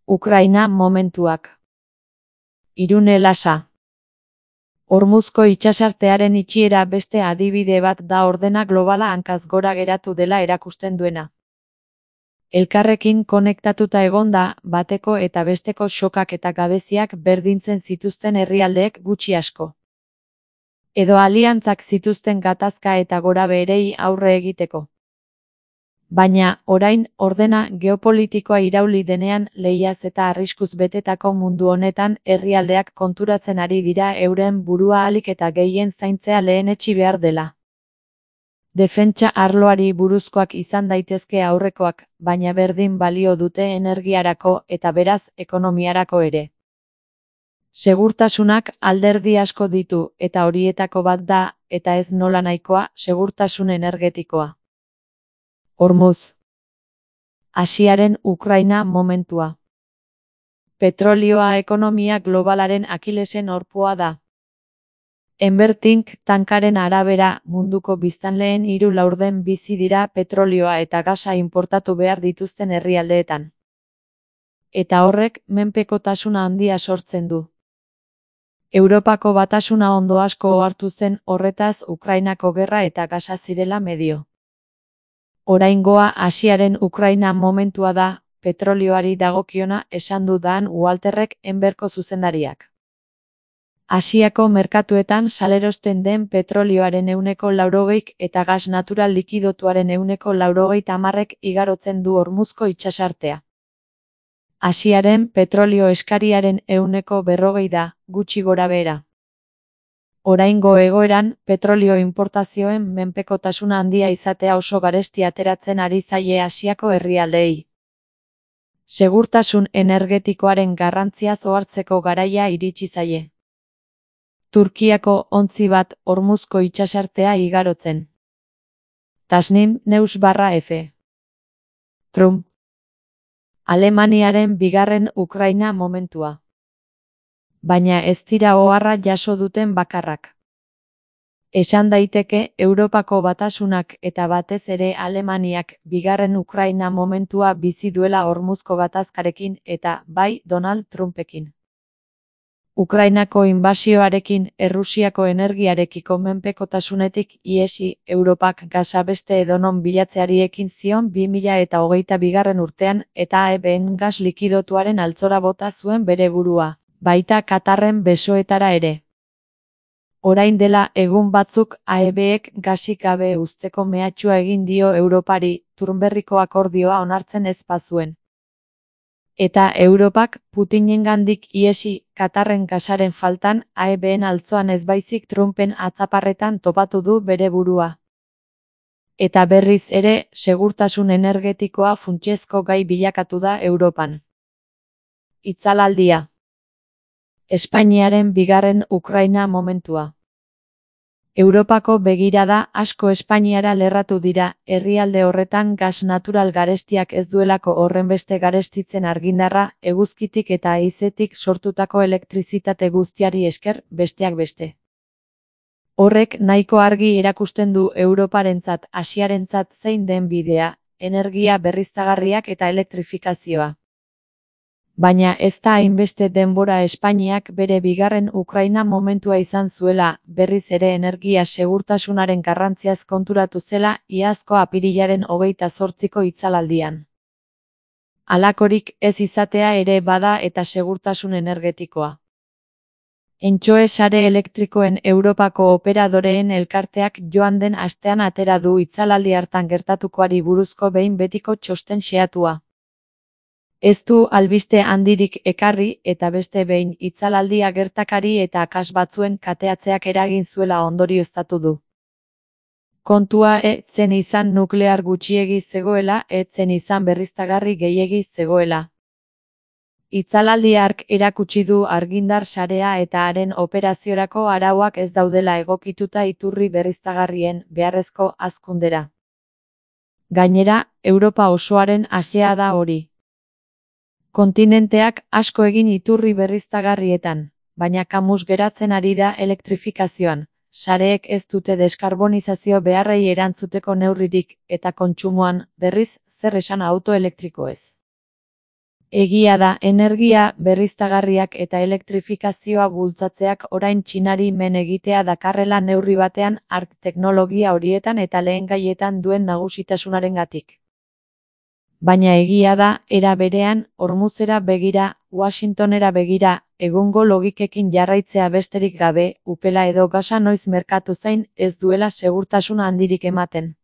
Ukraina momentuak. Irune Lasa. Hormuzko itsasartearen itxiera beste adibide bat da ordena globala hankaz gora geratu dela erakusten duena. Elkarrekin konektatuta egonda, bateko eta besteko xokak eta gabeziak berdintzen zituzten herrialdeek gutxi asko. Edo aliantzak zituzten gatazka eta gorabeherei aurre egiteko. Baina, orain, ordena geopolitikoa irauli denean lehiaz eta arriskuz betetako mundu honetan herrialdeak konturatzen ari dira euren burua ahalik eta gehien zaintzea lehenetsi behar dela. Defentsa arloari buruzkoak izan daitezke aurrekoak, baina berdin balio dute energiarako eta beraz ekonomiarako ere. Segurtasunak alderdi asko ditu eta horietako bat da, eta ez nola nahikoa, segurtasun energetikoa. Hormuz. Asiaren Ukraina momentua. Petrolioa ekonomia globalaren akilesen orpoa da. Enbertink tankaren arabera munduko biztanleen 3/4 bizi dira petrolioa eta gasa inportatu behar dituzten herrialdeetan. Eta horrek menpekotasuna handia sortzen du. Europako batasuna ondo asko ohartu zen horretaz Ukrainako gerra eta gasa zirela medio. Oraingoa Asiaren Ukraina momentua da, petrolioari dagokiona esan du Dan Walterrek Enberko zuzendariak. Asiako merkatuetan salerosten den petrolioaren 80% eta gas natural likidotuaren 80% igarotzen du Hormuzko itsasartea. Asiaren petrolio eskariaren 40% da, gutxi gorabehera. Oraingo egoeran, petrolio inportazioen menpekotasuna handia izatea oso garesti ateratzen ari zaie Asiako herrialdeei. Segurtasun energetikoaren garrantziaz ohartzeko garaia iritsi zaie. Turkiako ontzi bat Hormuzko itsasartea igarotzen. Tasnim News/F. Trump. Alemaniaren bigarren Ukraina momentua. Baina ez dira oharra jaso duten bakarrak. Esan daiteke Europako batasunak eta batez ere Alemaniak bigarren Ukraina momentua bizi duela Hormuzko gatazkarekin eta bai Donald Trumpekin. Ukrainako inbasioarekin Errusiako energiarekiko menpekotasunetik ihesi Europak gasa beste edonon bilatzeari ekin zion 2022 urtean eta AEBen gas likidotuaren altzora bota zuen bere burua. Baita Katarren besoetara ere. Orain dela egun batzuk AEBek gasik gabe uzteko mehatxua egin dio Europari, Turnberriko akordioa onartzen ez bazuen. Eta Europak Putinengandik ihesi Katarren gasaren faltan AEBen altzoan ez baizik Trumpen atzaparretan topatu du bere burua. Eta berriz ere, segurtasun energetikoa funtsezko gai bilakatu da Europan. Itzalaldia. Espainiaren bigarren Ukraina momentua. Europako begirada asko Espainiara lerratu dira, herrialde horretan gas natural garestiak ez duelako horrenbeste garestitzen argindarra, eguzkitik eta haizetik sortutako elektrizitate guztiari esker, besteak beste. Horrek nahiko argi erakusten du Europarentzat, Asiarentzat zein den bidea, energia berriztagarriak eta elektrifikazioa. Baina ez da hainbeste denbora Espainiak bere bigarren Ukraina momentua izan zuela, berriz ere energia segurtasunaren garrantziaz konturatu zela iazko apirilaren 28ko itzalaldian. Halakorik ez izatea ere bada eta segurtasun energetikoa. Entxoe sare elektrikoen Europako operadoreen elkarteak joan den astean atera du itzalaldi hartan gertatukoari buruzko behin betiko txosten xehatua. Ez du albiste handirik ekarri eta beste behin itzalaldia gertakari eta akas batzuen kateatzeak eragin zuela ondorioztatu du. Kontua zen izan nuklear gutxiegi zegoela, zen izan berriztagarri gehiegi zegoela. Itzalaldi hark erakutsi du argindar sarea eta haren operaziorako arauak ez daudela egokituta iturri berriztagarrien beharrezko hazkundera. Gainera, Europa osoaren ajea da hori. Kontinenteak asko egin iturri berriztagarrietan, baina kamus geratzen ari da elektrifikazioan, sareek ez dute deskarbonizazio beharrei erantzuteko neurririk eta kontsumoan, berriz, zer esan auto elektrikoez. Egia da, energia berriztagarriak eta elektrifikazioa bultzatzeak orain Txinari men egitea dakarrela neurri batean hark teknologia horietan eta lehengaietan duen nagusitasunarengatik. Baina egia da, era berean, Hormuzera begira, Washingtonera begira, egungo logikekin jarraitzea besterik gabe, upela edo gasa noiz merkatu zain, ez duela segurtasun handirik ematen.